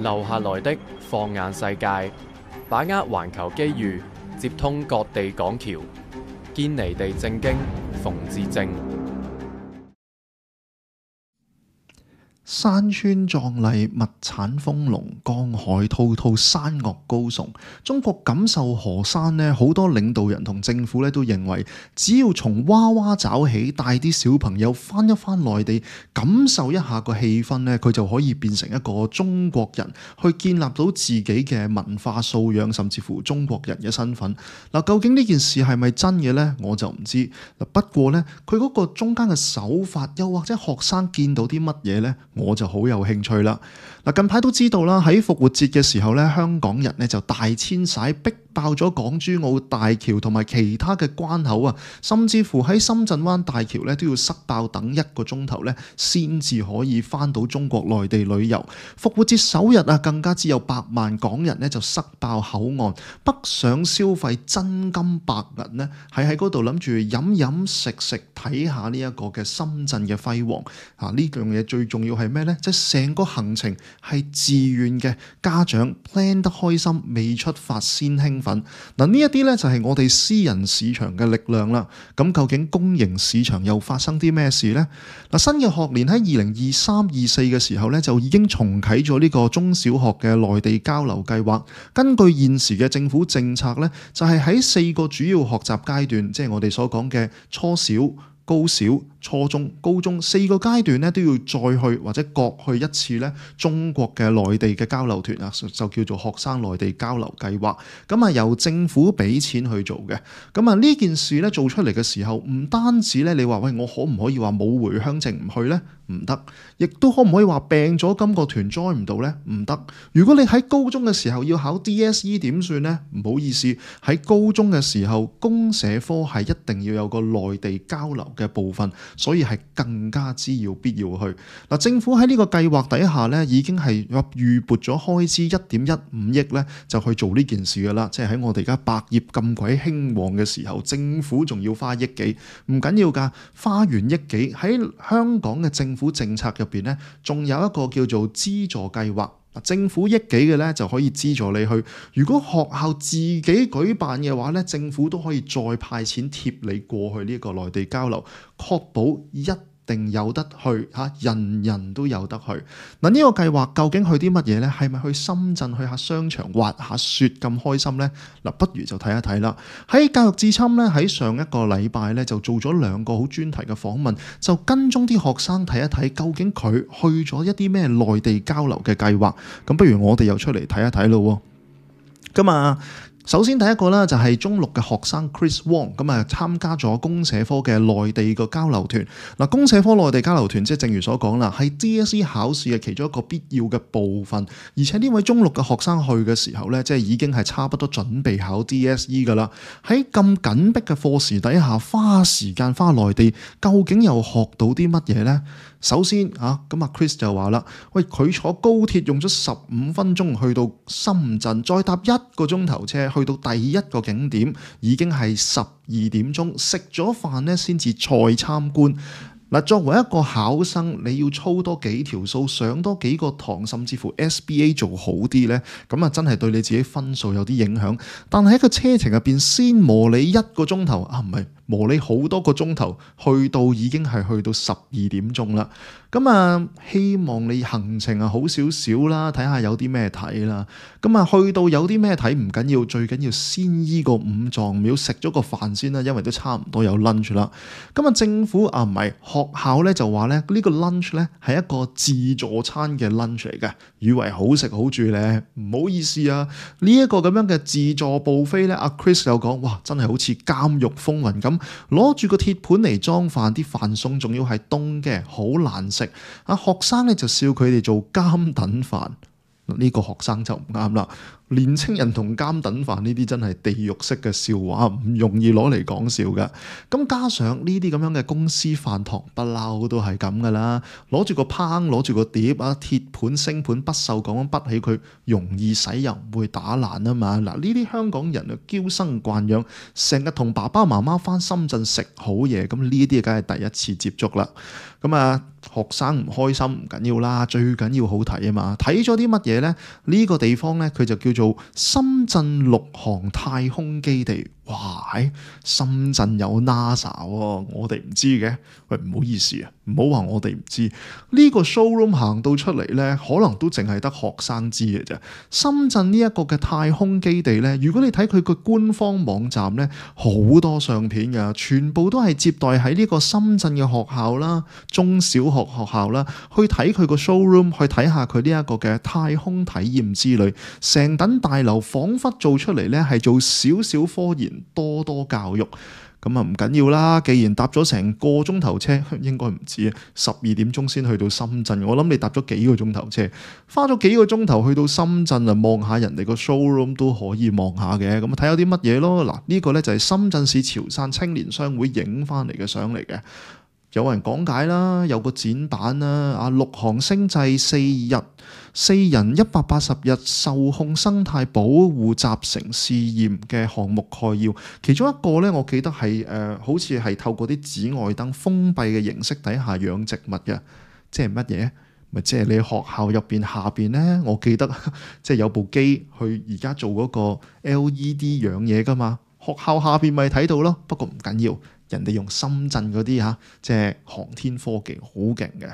留下來的放眼世界，把握環球機遇，接通各地港橋，堅尼地正經，馮智政。山川壯麗，物產豐隆，江海滔滔，山岳高聳。中國錦繡河山呢，好多領導人同政府咧都認為，只要從娃娃抓起，帶啲小朋友翻一翻內地，感受一下個氣氛呢，佢就可以變成一個中國人，去建立到自己嘅文化素養，甚至乎中國人嘅身份。嗱，究竟呢件事係咪真嘅呢？我就唔知。不過呢，佢嗰個中間嘅手法，又或者學生見到啲乜嘢呢？我就好有興趣啦！嗱，近排都知道啦，喺復活節嘅時候咧，香港人咧就大遷徙，逼爆咗港珠澳大橋同埋其他嘅關口啊，甚至乎喺深圳灣大橋咧都要塞爆等1個鐘頭咧，先至可以翻到中國內地旅遊。復活節首日啊，更加只有百萬港人咧就塞爆口岸，北上消費真金白銀呢，係喺嗰度諗住飲飲食食，睇下呢一個嘅深圳嘅輝煌啊！呢樣嘢最重要係咩呢？即係成個行程係自願嘅，家長 plan 得開心，未出發先興奮。嗱，呢一啲呢就係我哋私人市場嘅力量啦。咁究竟公營市場又發生啲咩事呢？嗱，新嘅學年喺2023-24嘅時候呢，就已經重啟咗呢個中小學嘅內地交流計劃。根據現時嘅政府政策呢，就係喺4個主要學習階段，即係我哋所講嘅初小、高小、初中、高中4個階段咧，都要再去或者各去一次咧中國嘅內地嘅交流團啊，就叫做學生內地交流計劃。咁啊，由政府俾錢去做嘅。咁啊，呢件事咧做出嚟嘅時候，唔單止咧，你話喂，我可唔可以話冇回鄉證唔去呢？唔得。亦都可唔可以話病咗今個團 join 唔到呢？唔得。如果你喺高中嘅時候要考 DSE 點算呢？唔好意思，喺高中嘅時候公社科係一定要有個內地交流嘅部分，所以係更加之要必要去。嗱，政府喺呢個計劃底下咧，已經係預撥咗開支1.15億咧，就去做呢件事噶啦。即係喺我哋而家百業咁鬼興旺嘅時候，政府仲要花億幾，唔緊要㗎，花完億幾喺香港嘅政府政策入邊咧，仲有一個叫做資助計劃。政府億幾嘅咧就可以資助你去，如果學校自己舉辦嘅話咧，政府都可以再派錢貼你過去呢個內地交流，確保一定有得去嚇，人人都有得去。嗱，呢個計劃究竟去啲乜嘢呢？係咪去深圳去下商場滑下雪咁開心呢？嗱，不如就睇一睇啦。喺教育至親咧，喺上一個禮拜咧就做咗2個好專題嘅訪問，就跟蹤啲學生睇一睇究竟佢去咗一啲咩內地交流嘅計劃。咁不如我哋又出嚟睇一睇咯。咁啊〜首先第一個啦，就係中6嘅學生 Chris Wong 咁啊，參加咗公社科嘅內地個交流團。嗱，公社科內地交流團即係正如所講啦，係 DSE 考試嘅其中一個必要嘅部分。而且呢位中6嘅學生去嘅時候咧，即係已經係差不多準備考 DSE 噶啦。喺咁緊迫嘅課時底下，花時間返內地，究竟又學到啲乜嘢呢？首先咁 Chris 就話啦，喂，佢坐高鐵用咗15分鐘去到深圳，再搭1個鐘頭車去到第一個景點，已經係12點鐘，食咗飯咧先至再參觀。嗱，作為一個考生，你要操多幾條數，上多幾個堂，甚至乎 SBA 做好啲呢，咁啊真係對你自己分數有啲影響。但係喺個車程入邊，先磨你1個鐘頭唔係磨你好多個鐘頭，去到已經係去到12點鐘啦。咁啊，希望你行程啊好少少啦，睇下有啲咩睇啦。咁啊，去到有啲咩睇唔緊要，最緊要先醫個5臟廟，食咗個飯先啦，因為都差唔多有 lunch 啦。咁啊，政府唔係學校咧就話咧呢個 lunch 咧係一個自助餐嘅 lunch 嚟嘅，以為好食好住咧，唔好意思啊，呢一個咁樣嘅自助buffet咧，阿 Chris 有講，哇，真係好似監獄風雲咁，攞住個鐵盤嚟裝飯，啲飯餸仲要係凍嘅，好難食。學生咧就笑佢哋做監等飯，呢個學生就唔啱啦。年青人同監等飯呢啲真係地獄式嘅笑話，唔容易攞嚟講笑㗎。咁加上呢啲咁樣嘅公司飯堂不嬲都係咁噶啦，攞住個烹，攞住個碟啊，鐵盤星盤不鏽鋼咁滗起佢，容易洗又唔會打爛啊嘛。嗱，呢啲香港人啊嬌生慣養，成日同爸爸媽媽返深圳食好嘢，咁呢啲梗係第一次接觸啦。咁啊，學生唔開心唔緊要啦，最緊要好睇啊嘛！睇咗啲乜嘢呢？呢個地方呢，佢就叫做深圳陸航太空基地。哇！深圳有 NASA 喎，我哋唔知嘅。喂，唔好意思啊，唔好話我哋唔知。呢個 showroom 行到出嚟呢，可能都淨係得學生知嘅啫。深圳呢一個嘅太空基地呢，如果你睇佢個官方網站呢，好多相片㗎，全部都係接待喺呢個深圳嘅學校啦、中小學校啦，去睇佢個 showroom， 去睇下佢呢一個嘅太空體驗之旅。成棟大樓彷彿做出嚟呢，係做少少科研，多教育。咁啊唔緊要啦，既然搭咗成個鐘頭車，應該唔止啊，12點鐘先去到深圳。我諗你搭咗幾個鐘頭車，花咗幾個鐘頭去到深圳啊，望下人哋個 showroom 都可以望下嘅。咁啊睇下啲乜嘢咯。嗱，呢個呢就係深圳市潮汕青年商會影翻嚟嘅相嚟嘅。有人講解啦，有個展板啦，陸航星際4人180日受控生態保護集成試驗嘅項目概要，其中一個咧，我記得係好似係透過啲紫外燈封閉嘅形式底下養植物嘅，即係乜嘢？咪即係你學校入邊下邊咧，我記得即係有部機去而家做嗰個 LED 養嘢噶嘛，學校下邊咪睇到咯。不過唔緊要。人哋用深圳嗰啲即係航天科技好勁嘅，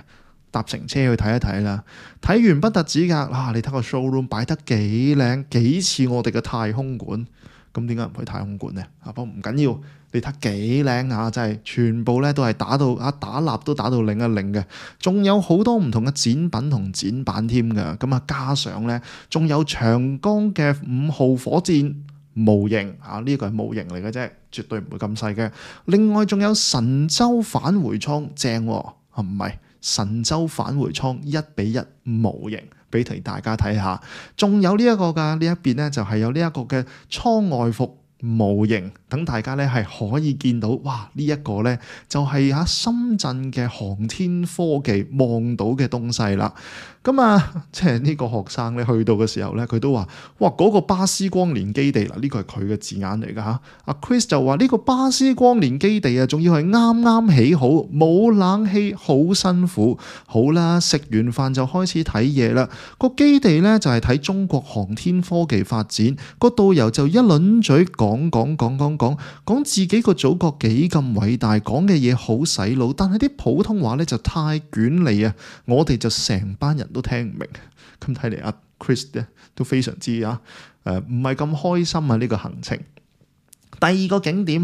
搭乘車去睇一睇啦。睇完不特止㗎，你睇個 showroom 擺得幾靚，幾似我哋嘅太空館。咁點解唔去太空館呢？不過唔緊要，你睇幾靚啊！真係全部咧都係打蠟都打到擰一擰嘅，仲有好多唔同嘅展品同展板添㗎。咁啊，加上咧仲有長江嘅5號火箭模型呢個係模型嚟嘅啫，絕對唔會咁細嘅。另外仲有神舟返回艙，正喎，唔係神舟返回艙1:1模型，俾大家睇下。仲有呢一個㗎，呢一邊咧就係有呢一個嘅艙外服模型，等大家咧係可以見到，哇！呢一個咧就係深圳嘅航天科技望到嘅東西啦。咁啊，即係呢個學生咧去到嘅時候咧，佢都話：哇！嗰個巴斯光年基地嗱，呢個係佢嘅字眼嚟㗎嚇。阿 Chris 就話呢個巴斯光年基地啊，仲要係啱啱起好，冇冷氣，好辛苦。好啦，食完飯就開始睇嘢啦。個基地咧就係睇中國航天科技發展。個導遊就一輪嘴講自己個祖國幾咁偉大，講嘅嘢好洗腦，但係啲普通話咧就太捲脷啊！我哋就成班人都聽唔明。咁睇嚟阿 Chris 咧都非常之唔係咁開心啊！呢個行程。第二個景點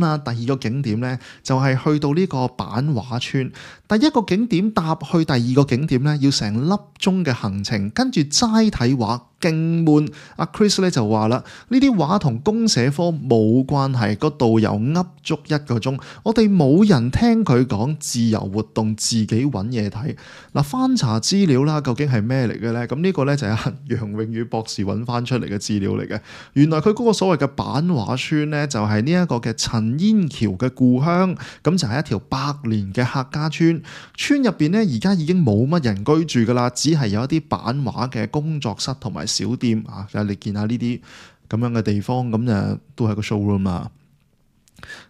咧就係去到呢個版畫村。第一個景點搭去第二個景點咧要成粒鐘嘅行程，跟住齋睇畫勁悶。阿 Chris 咧就話啦，呢啲畫同公社科冇關係，個導遊噏足1個鐘，我哋冇人聽佢講，自由活動，自己揾嘢睇。嗱，翻查資料啦，究竟係咩嚟嘅咧？咁呢個咧就係楊永宇博士揾翻出嚟嘅資料嚟嘅。原來佢嗰個所謂嘅版畫村咧，就係呢一個嘅陳煙橋嘅故鄉，咁就係一條100年嘅客家村。村入邊咧而家已經冇乜人居住噶啦，只係有一啲版畫嘅工作室同埋小店啊。你見下呢啲咁樣嘅地方，咁就都係個 showroom 啦。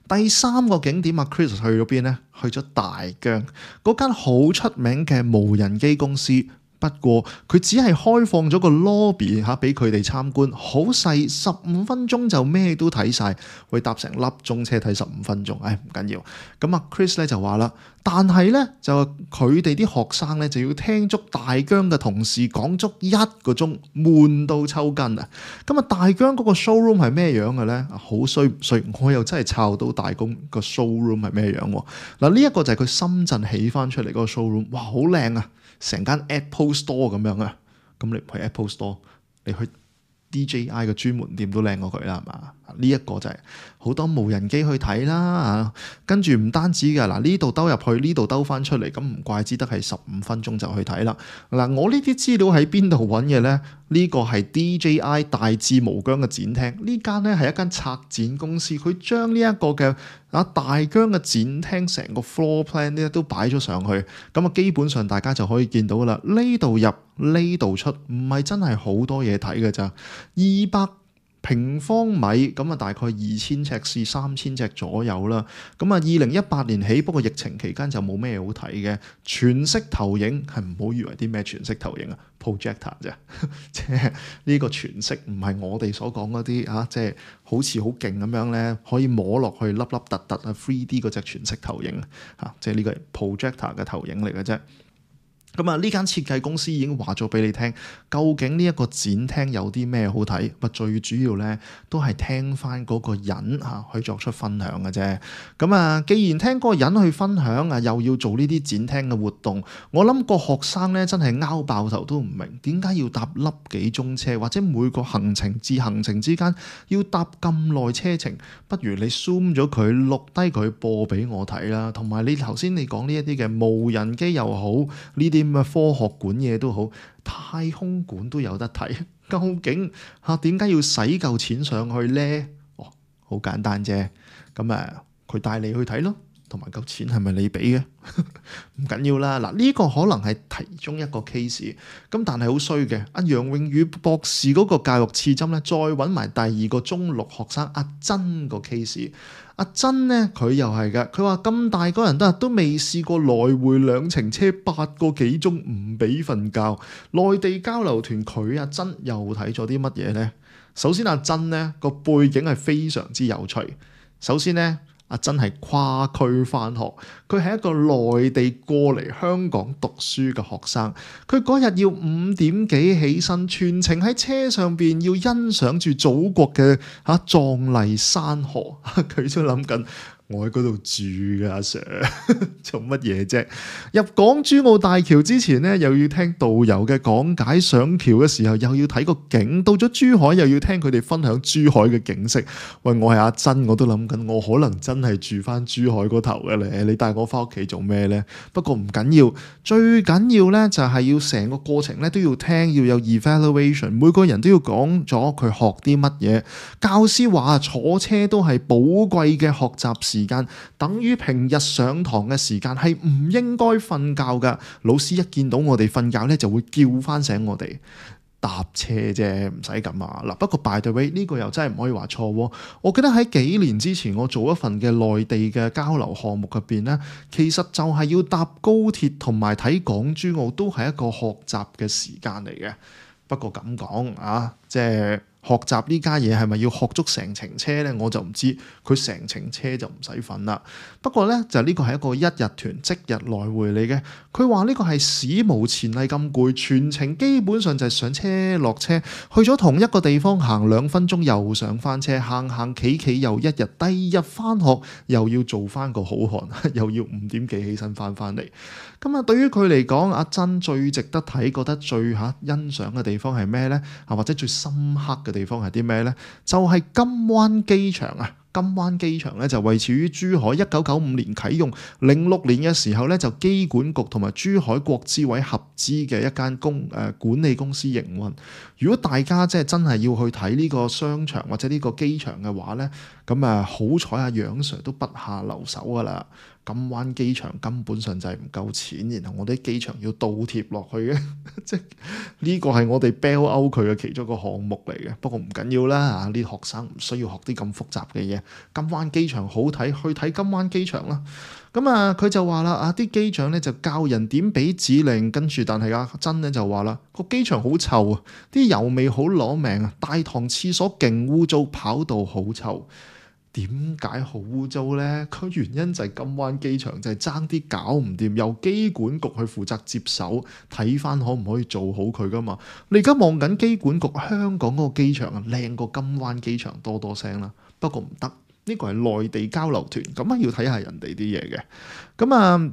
第3個景點Chris 去咗邊呢？去咗大疆嗰間好出名嘅無人機公司。不過佢只係開放咗個 lobby 俾佢哋參觀，好細，15分鐘就咩都睇晒，會搭成粒鐘車睇15分鐘，唔緊要。咁Chris 咧就話啦，但係咧就佢哋啲學生咧就要聽足大疆嘅同事講足1個鐘，悶到抽筋啊！咁大疆嗰個 showroom 係咩樣嘅咧？好衰唔衰？我又真係抄到大疆個 showroom 係咩樣喎？嗱，呢一個就係佢深圳起翻出嚟嗰個 showroom，哇，好靚啊！成間 Apple Store 咁樣啊，咁你唔去 Apple Store，你去 DJI 嘅專門店都靚過佢啦，係嘛？呢一個就係好多無人機去睇啦，跟住唔單止㗎，嗱，呢度兜入去，呢度兜翻出嚟，咁唔怪之得係15分鐘就去睇啦。嗱，我呢啲資料喺邊度揾嘅呢？呢個係 DJI 大智無疆嘅展廳，呢間呢係一間策展公司，佢將呢一個嘅大疆嘅展廳成個 floor plan 咧都擺咗上去，咁基本上大家就可以見到啦。呢度入呢度出，唔係真係好多嘢睇㗎咋，200平方米咁啊，大概2000尺至3000尺左右啦。咁啊，2018年起，不過疫情期間就冇咩好睇嘅。全息投影係唔好以為啲咩全息投影啊 ，projector 啫，即係呢個全息唔係我哋所講嗰啲啊，即係好似好勁咁樣咧，可以摸落去粒粒突突啊 3D 嗰隻全息投影啊，即係呢個係 projector 嘅投影嚟嘅啫。咁啊，呢間設計公司已經話咗俾你聽，究竟呢一個展廳有啲咩好睇？最主要咧都係聽翻嗰個人去作出分享嘅啫。咁啊，既然聽嗰個人去分享啊，又要做呢啲展廳嘅活動，我諗個學生咧真係拗爆頭都唔明，點解要搭粒幾鐘車，或者每個行程至行程之間要搭咁耐車程？不如你 zoom 咗佢，錄低佢播俾我睇啦。同埋你頭先你講呢一啲嘅無人機又好，呢啲咁嘅科學館嘢都好，太空館都有得睇。究竟點解要使夠錢上去呢？好簡單啫。咁佢帶你去睇咯，同埋嚿錢係咪你俾嘅？唔緊要啦。嗱，呢個可能係其中一個 case。咁但係好衰嘅，阿楊穎宇博士嗰個教育刺針咧，再揾埋第二個中六學生阿珍個 case。阿珍呢，佢又係㗎，佢話咁大個人都未試過來回2程車8個幾鐘唔俾瞓覺。內地交流團佢阿珍又睇咗啲乜嘢呢？首先阿珍呢個背景係非常之有趣。首先呢，阿珍係跨區返學，佢係一個內地過嚟香港讀書嘅學生。佢嗰日要5點幾起身，全程喺車上邊要欣賞住祖國嘅壯麗山河。佢都諗緊，我喺嗰度住㗎，阿 Sir 做乜嘢啫？入港珠澳大橋之前呢，又要聽導遊嘅講解；上橋嘅時候又要睇個景；到咗珠海又要聽佢哋分享珠海嘅景色。喂，我係阿珍，我都諗緊，我可能真係住翻珠海嗰頭嘅咧。你帶我翻屋企做咩呢？不過唔緊要，最緊要呢就係要成個過程呢都要聽，要有 evaluation， 每個人都要講咗佢學啲乜嘢。教師話坐車都係寶貴嘅學習時間，等於平日上堂嘅時間，係唔應該瞓覺噶。老師一見到我哋瞓覺咧，就會叫翻醒我哋。搭車啫，唔使咁啊。嗱，不過 by the way 呢個又真係唔可以話錯喎。我記得喺幾年之前，我做一份嘅內地嘅交流項目入邊咧，其實就係要搭高鐵同埋睇港珠澳，都係一個學習嘅時間嚟嘅。不過咁講啊，即係學習呢家嘢係咪要學足成程車呢？我就唔知。佢成程車就唔使瞓啦。不過呢，就呢個係一個一日團即日來回嚟嘅。佢話呢個係史無前例咁攰，全程基本上就係上車落車，去咗同一個地方行2分鐘又上翻車，行企又一日，第二日翻學又要做翻個好漢，又要5點幾起身翻嚟。咁啊，對於佢嚟講，阿珍最值得睇，覺得最欣賞嘅地方係咩呢？或者最深刻嘅地方係啲咩呢？就係金灣機場啊！金灣機場咧就位處於珠海，1995年啟用，06年嘅時候咧就機管局同埋珠海國資委合資嘅一間管理公司營運。如果大家即係真係要去睇呢個商場或者呢個機場嘅話咧，咁好彩阿楊 Sir 都不下留手噶啦。金灣機場根本上就係唔夠錢，然後我哋機場要倒貼落去嘅，即係呢個係我哋 bail out 佢嘅其中一個項目嚟嘅。不過唔緊要啦，呢啲學生唔需要學啲咁複雜嘅嘢。金灣機場好睇，去睇金灣機場啦。咁佢就話啦，啲機長咧就教人點俾指令，跟住但係阿珍咧就話啦，個機場好臭啊，啲油味好攞命啊，大堂廁所勁污糟，跑道好臭。點解好污糟呢？個原因就係金灣機場就係爭啲搞唔掂，由機管局去負責接手睇翻可唔可以做好佢噶嘛？你而家望緊機管局香港嗰個機場啊，靚過金灣機場多聲啦。不過唔得，呢個係內地交流團，咁要睇下人哋啲嘢嘅。咁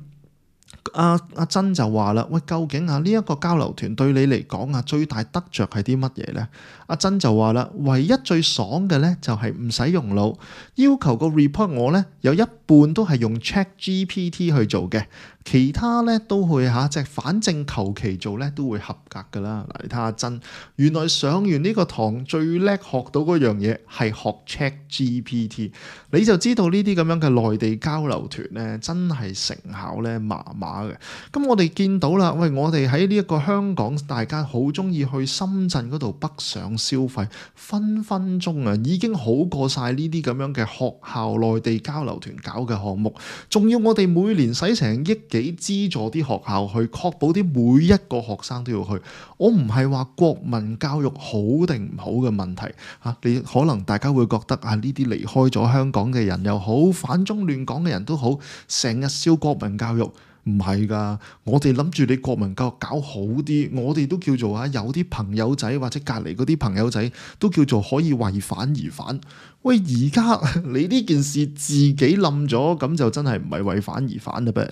阿珍就話啦，喂，究竟呢一個交流團對你嚟講最大得着係啲乜嘢呢？阿珍就話啦，唯一最爽嘅呢就係唔使用腦，要求個 report 我呢有一半都係用 ChatGPT 去做嘅，其他呢都會即係反正求其做呢都會合格噶啦。嗱，你睇下阿珍，原來上完呢個堂最叻學到嗰樣嘢係學 ChatGPT，你就知道呢啲咁樣嘅內地交流團呢真係成效呢麻麻下嘅。咁我哋見到啦，喂，我哋喺呢一個香港，大家好中意去深圳嗰度北上消費，分分鐘啊已經好過晒呢啲咁樣嘅學校內地交流團搞嘅項目，仲要我哋每年使成億幾資助啲學校去，確保啲每一個學生都要去。我唔係話國民教育好定唔好嘅問題嚇，你可能大家會覺得啊，呢啲離開咗香港嘅人又好，反中亂港嘅人都好，成日笑國民教育。唔係㗎，我哋諗住你國民教育搞好啲，我哋都叫做有啲朋友仔或者隔離嗰啲朋友仔都叫做可以為反而反。喂，而家你呢件事自己冧咗，咁就真係唔係為反而反啦噃。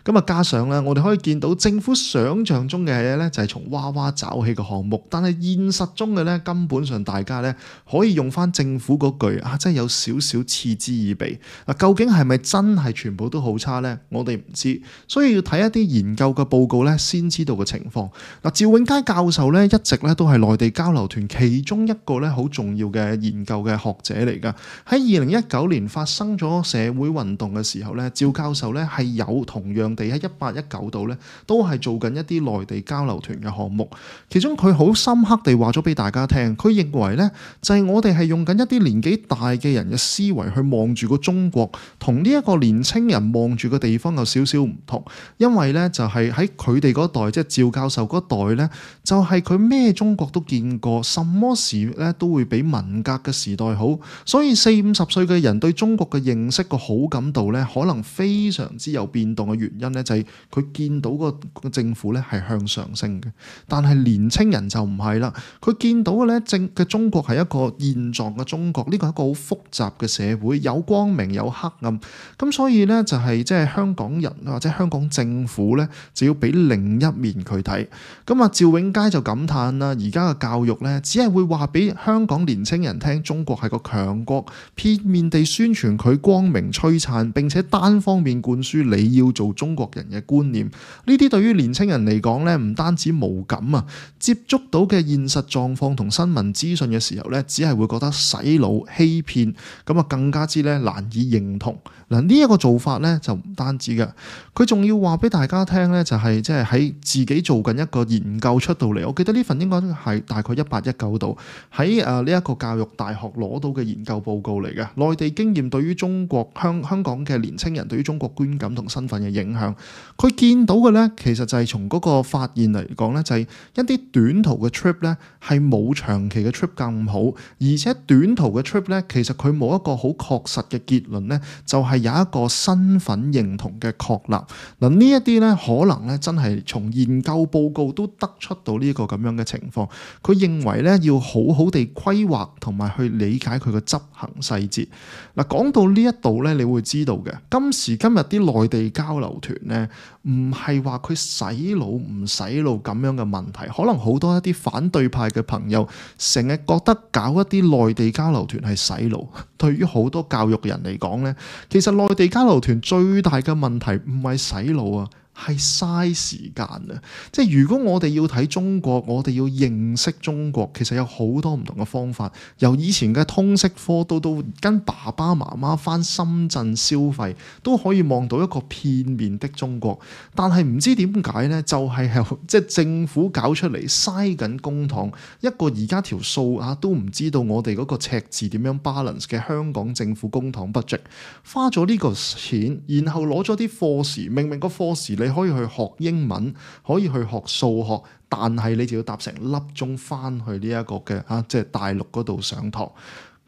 咁啊，加上咧，我哋可以見到政府想像中嘅嘢咧，就係從娃娃找起嘅項目，但係現實中嘅咧，根本上大家咧可以用翻政府嗰句真係有少少嗤之以鼻。嗱，究竟係咪真係全部都好差咧？我哋唔知，所以要睇一啲研究嘅報告咧，先知道嘅情況。嗱，趙永佳教授咧，一直咧都係內地交流團其中一個咧好重要嘅研究嘅學者嚟。喺2019年發生咗社會運動嘅時候咧，趙教授咧係有同樣地喺18、19度咧都係做緊一啲內地交流團嘅項目。其中佢好深刻地話咗俾大家聽，佢認為咧就係我哋係用緊一啲年紀大嘅人嘅思維去望住個中國，同呢一個年青人望住個地方有少少唔同。因為咧就係喺佢哋嗰代，即係趙教授嗰代咧，就係佢咩中國都見過，什麼事咧都會比文革嘅時代好。所以40、50歲嘅人對中國嘅認識個好感度咧，可能非常之有變動嘅原因咧，就係佢見到個政府咧係向上升嘅。但係年青人就唔係啦，佢見到嘅咧嘅中國係一個現狀嘅中國，呢個係一個好複雜嘅社會，有光明有黑暗。咁所以咧就係即係香港人或者香港政府咧，就要俾另一面佢睇。咁啊，趙永佳就感嘆啦，而家嘅教育咧，只係會話俾香港年青人聽，中國係個強國，片面地宣傳佢光明璀璨，並且單方面灌輸你要做中國人嘅觀念。呢啲對於年青人嚟講咧，唔單止無感啊，接觸到嘅現實狀況同新聞資訊嘅時候咧，只係會覺得洗腦欺騙，咁啊更加之咧難以認同。嗱，呢一個做法咧就唔單止嘅，佢仲要話俾大家聽咧，就係即係喺自己做緊一個研究出到嚟。我記得呢份應該係大概18、19度喺呢一個教育大學攞到嘅研究報告嚟嘅，內地經驗對於中國香港嘅年青人對於中國觀感同身份嘅影響。佢見到嘅咧，其實就係從嗰個發現嚟講咧，就係一啲短途嘅 trip 咧係冇長期嘅 trip 咁好，而且短途嘅 trip 咧，其實佢冇一個好確實嘅結論咧，就係有一個身份認同嘅確立。嗱，呢一啲咧可能咧真係從研究報告都得出到呢個咁樣嘅情況。佢認為咧要好好地規劃同埋去理解佢嘅執行細節。嗱，講到呢一度咧，你會知道嘅，今時今日啲內地交流團咧，唔係話佢洗腦唔洗腦咁樣嘅問題。可能好多一啲反對派嘅朋友成日覺得搞一啲內地交流團係洗腦。對於好多教育人嚟講咧，其實內地交流團最大嘅問題唔係洗腦啊，係嘥時間啊！即係如果我哋要睇中國，我哋要認識中國，其實有好多唔同嘅方法。由以前嘅通識科到跟爸爸媽媽返深圳消費，都可以望到一個片面的中國。但係唔知點解呢，就係即係政府搞出嚟嘥緊公帑，一個而家條數都唔知道我哋嗰個赤字點樣 balance 嘅香港政府公帑 budget， 花咗呢個錢，然後攞咗啲課時，明明個課時你可以去學英文，可以去學數學，但係你就要搭成粒鐘翻去呢一個嘅即係大陸嗰度上堂。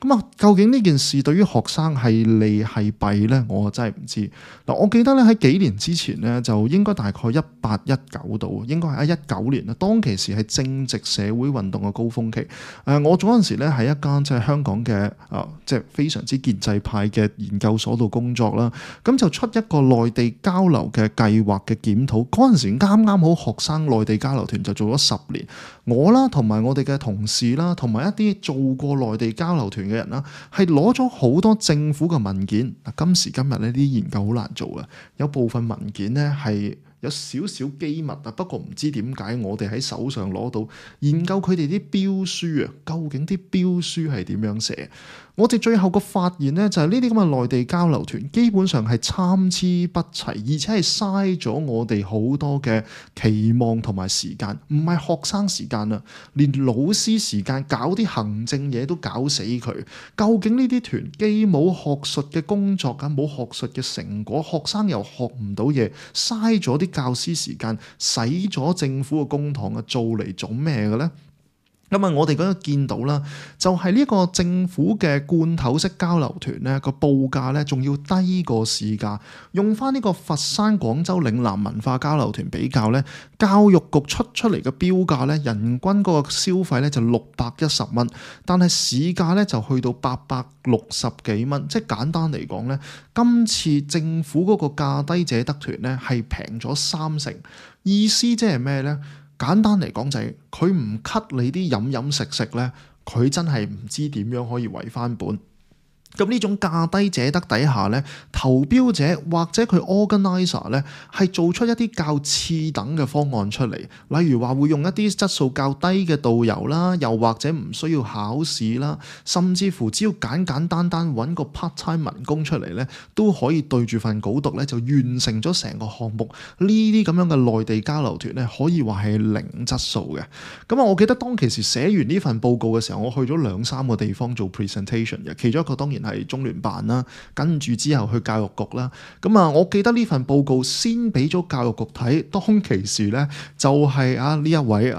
咁啊，究竟呢件事對於學生係利係弊呢？我真係唔知。嗱，我記得咧喺幾年之前呢，就應該大概18、19度，應該係19年啦。當其時係正值社會運動嘅高峰期。我嗰陣時咧喺一間即係香港嘅即係非常之建制派嘅研究所度工作啦。咁就出一個內地交流嘅計劃嘅檢討。嗰陣時啱啱好學生內地交流團就做咗10年。我啦同埋我哋嘅同事啦，同埋一啲做過內地交流團嘅人啦，係攞咗好多政府嘅文件。嗱，今時今日呢啲研究好難做嘅，有部分文件呢係有少少機密啊，不過唔知點解我哋喺手上攞到研究佢哋啲標書啊，究竟啲標書係點樣寫？我哋最後個發現呢，就係呢啲咁嘅內地交流團基本上係參差不齊，而且係嘥咗我哋好多嘅期望同埋時間，唔係學生時間啊，連老師時間搞啲行政嘢都搞死佢。究竟呢啲團既冇學術嘅工作啊，冇學術嘅成果，學生又學唔到嘢，嘥咗啲教師時間，使咗政府嘅公帑啊，做嚟做咩嘅咧？咁啊，我哋嗰度見到啦，就係呢個政府嘅罐頭式交流團咧，個報價咧仲要低過市價。用翻呢個佛山、廣州嶺南文化交流團比較咧，教育局出嚟嘅標價咧，人均嗰個消費咧就610蚊，但係市價咧就去到860幾蚊。即係簡單嚟講咧，今次政府嗰個價低者得團咧係平咗30%，意思即係咩咧？簡單嚟講就係佢唔 cut 你啲飲食咧，佢真係唔知點樣可以為翻本。咁呢種價低者得底下咧，投標者或者佢 organizer 咧係做出一啲較次等嘅方案出嚟，例如話會用一啲質素較低嘅導遊啦，又或者唔需要考試啦，甚至乎只要簡簡單單揾個 part time 民工出嚟咧，都可以對住份稿讀咧就完成咗成個項目。呢啲咁樣嘅內地交流團咧，可以話係零質素嘅。咁啊，我記得當其時寫完呢份報告嘅時候，我去咗2-3個地方做 presentation 嘅，其中一個當然係中聯辦啦，跟住之後去教育局啦。咁啊，我記得呢份報告先俾咗教育局睇，當其時咧就係呢一位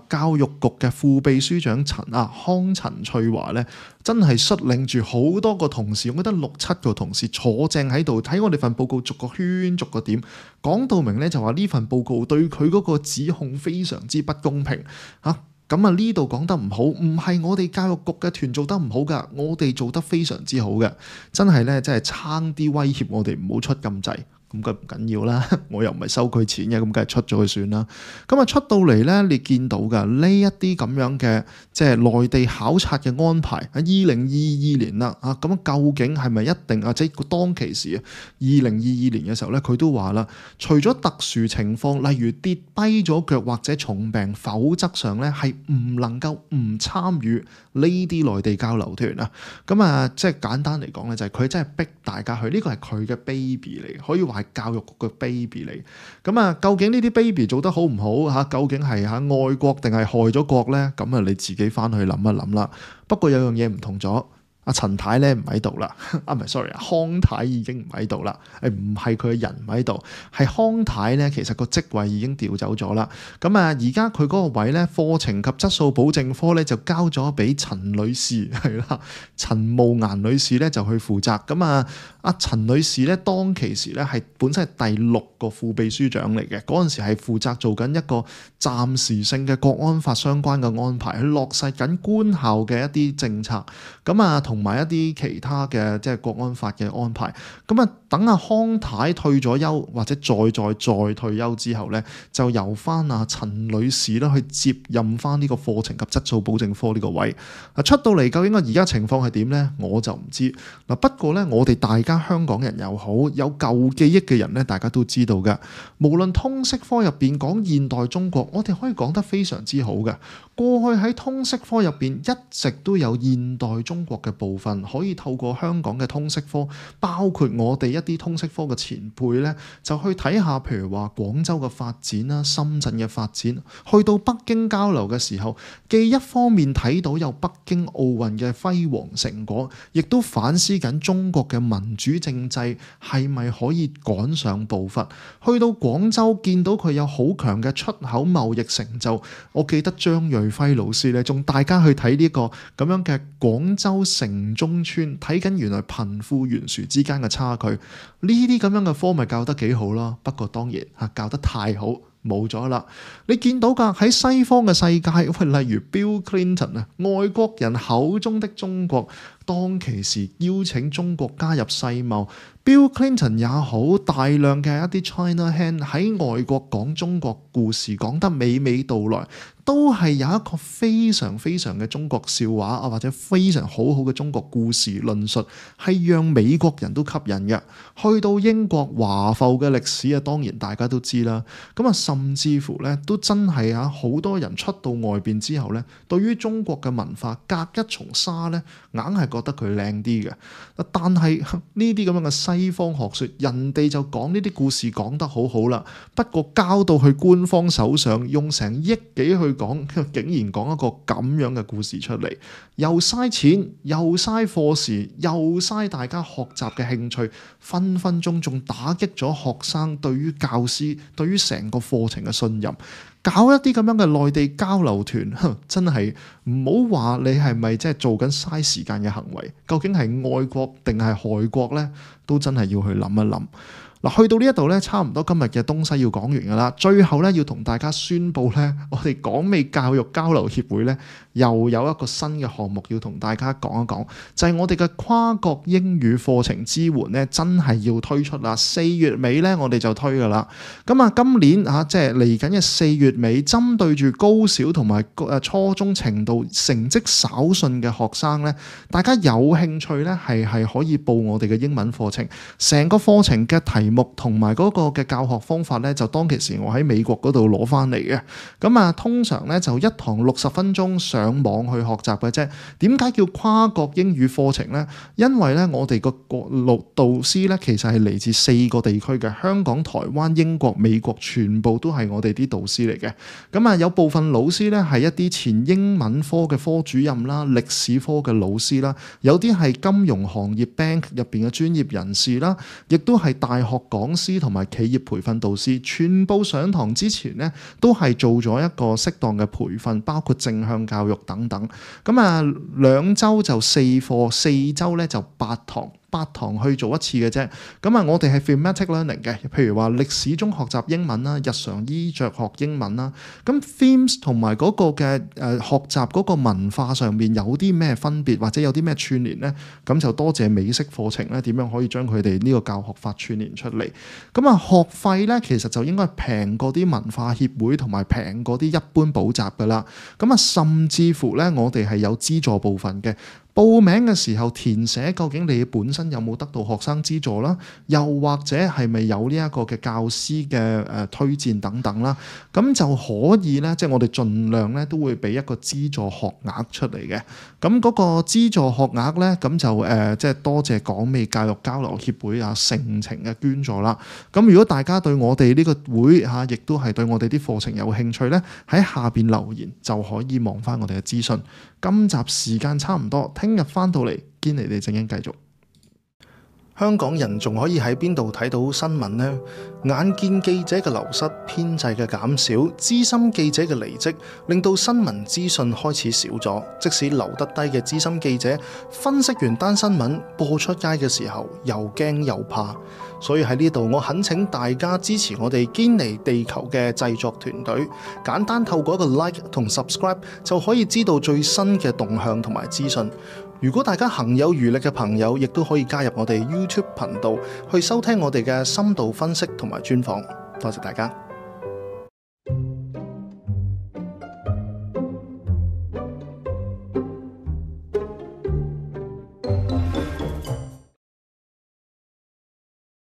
教育局嘅副秘書長康陳翠華咧，真係率領住好多個同事，我覺得6-7個同事坐正喺度睇我哋份報告，逐個圈逐個點講到明咧，就話呢份報告對佢嗰個指控非常之不公平嚇。咁啊，呢度講得唔好，唔係我哋教育局嘅團做得唔好㗎，我哋做得非常之好嘅，真係咧，真係差啲威脅我哋唔好出咁滯。咁佢唔緊要啦，我又唔係收佢錢嘅，咁梗係出咗佢算啦。咁啊出到嚟咧，你見到㗎呢一啲咁樣嘅即係內地考察嘅安排喺2022年啦，咁究竟係咪一定即係當其時啊2022年嘅時候咧，佢都話啦，除咗特殊情況，例如跌跛咗腳或者重病，否則上咧係唔能夠唔參與呢啲內地交流團啊。咁啊，即係簡單嚟講咧，就係佢真係逼大家去，呢個係佢嘅 baby 嚟，可以話係教育局嘅 baby 嚟。咁啊，究竟呢啲 baby 做得好唔好嚇？究竟係愛國定係害咗國咧？咁啊，你自己翻去諗一諗啦。不過有樣嘢唔同咗。阿陳太咧唔喺度啦，唔係 sorry，康太已經唔喺度啦，唔係佢嘅人唔喺度，係康太咧其實個職位已經調走咗啦。咁啊，而家佢嗰個位咧，課程及質素保證科咧就交咗俾陳女士係啦，陳慕顏女士咧就去負責。咁啊，阿陳女士咧當其時咧係本身係第6個副秘書長嚟嘅，嗰陣時係負責做緊一個暫時性嘅國安法相關嘅安排，去落實緊官校嘅一啲政策。咁啊，同埋一啲其他嘅即係國安法嘅安排。咁啊，等阿康太退咗休或者再退休之後咧，就由翻阿陳女士啦去接任翻呢個課程及質素保證科呢個位。出到嚟究竟個而家情況係點咧？我就唔知。嗱，不過咧，我哋大家香港人又好，有舊記憶嘅人咧，大家都知道㗎。無論通識科入邊講現代中國，我哋可以講得非常之好嘅。過去喺通識科入邊一直都有現代中國嘅部分，可以透過香港嘅通識科，包括我哋一啲通識科嘅前輩咧，就去睇下，譬如話廣州嘅發展啦、深圳嘅發展，去到北京交流嘅時候，既一方面睇到有北京奧運嘅輝煌成果，亦都反思緊中國嘅民主政制係咪可以趕上步伐。去到廣州見到佢有好強嘅出口貿易成就，我記得張瑞輝老師咧，仲大家去睇呢個咁樣嘅廣州城中村，睇緊原來貧富懸殊之間嘅差距。呢啲咁樣嘅科咪教得幾好咯，不過當然教得太好冇咗啦。你見到㗎喺西方嘅世界，例如 Bill Clinton 外國人口中的中國，當其時邀請中國加入世貿 Bill Clinton 也好，大量嘅一啲 China hand 喺外國講中國故事講得娓娓道來，都係有一個非常非常嘅中國笑話啊，或者非常好好嘅中國故事論述，係讓美國人都吸引嘅。去到英國華埠嘅歷史啊，當然大家都知啦。咁啊，甚至乎咧都真係啊，好多人出到外邊之後咧，對於中國嘅文化隔一重紗咧，硬係覺得佢靚啲嘅。但係呢啲咁樣嘅西方學說，人哋就講呢啲故事講得好好啦。不過交到去官方手上，用成億幾去講，竟然講一個咁樣嘅故事出嚟，又嘥錢，又嘥課時，又嘥大家學習嘅興趣，分分鐘仲打擊咗學生對於教師、對於成個課程嘅信任。搞一啲咁樣嘅內地交流團，真係唔好話你係咪即係做緊嘥時間嘅行為，究竟係愛國定係害國呢？都真係要去諗一諗。嗱，去到呢一度咧，差唔多今日嘅東西要講完噶啦。最後咧，要同大家宣佈咧，我哋港美教育交流協會咧，又有一個新嘅項目要同大家講一講，就係我哋嘅跨國英語課程支援咧，真係要推出啦。4月尾咧，我哋就推噶啦。咁啊，今年即係嚟緊嘅4月尾，針對住高小同埋初中程度成績稍遜嘅學生咧，大家有興趣咧，係可以報我哋嘅英文課程。成個課程嘅題目同埋嗰個嘅教學方法咧，就當其時我喺美國嗰度攞翻嚟嘅。咁啊，通常咧就一堂60分鐘上網去學習嘅啫。點解叫跨國英語課程咧？因為咧我哋個導師咧其實係嚟自4個地區嘅，香港、台灣、英國、美國，全部都係我哋啲導師嚟嘅。咁啊，有部分老師咧係一啲前英文科嘅科主任啦、歷史科嘅老師啦，有啲係金融行業 bank 入邊嘅專業人士啦，亦都係大學講師同埋企業培訓導師，全部上堂之前呢，都係做咗一個適當嘅培訓，包括正向教育等等。咁啊，2週就4課，4週咧就8堂去做一次嘅啫。咁啊，我哋係 thematic learning 嘅，譬如話歷史中學習英文啦，日常衣着學英文啦。咁 themes 同埋嗰個嘅學習嗰個文化上面有啲咩分別，或者有啲咩串聯呢？咁就多謝美式課程咧，點樣可以將佢哋呢個教學法串聯出嚟。咁啊，學費咧其實就應該平過啲文化協會同埋平過啲一般補習噶啦。咁啊，甚至乎咧，我哋係有資助部分嘅。報名嘅時候填寫究竟你本身有冇得到學生資助啦，又或者係咪有呢一個嘅教師嘅推薦等等啦，咁就可以咧，即係我哋盡量咧都會俾一個資助學額出嚟嘅。咁嗰個資助學額咧，咁就即係多謝港美教育交流協會啊盛情嘅捐助啦。咁如果大家對我哋呢個會亦都係對我哋啲課程有興趣咧，喺下邊留言就可以望翻我哋嘅資訊。今集時間差唔多，聽日翻到嚟堅尼地正經繼續。香港人仲可以喺邊度睇到新聞呢？眼見記者嘅流失、編制嘅減少、資深記者嘅離職，令到新聞資訊開始少咗。即使留得低嘅資深記者，分析完單新聞播出街嘅時候，又驚又怕。所以喺呢度，我懇請大家支持我哋堅尼地球嘅製作團隊，簡單透過一個 like 同 subscribe 就可以知道最新嘅動向同埋資訊。如果大家行有餘力嘅朋友，亦都可以加入我哋 YouTube 頻道去收聽我哋嘅深度分析同埋專訪。多謝大家。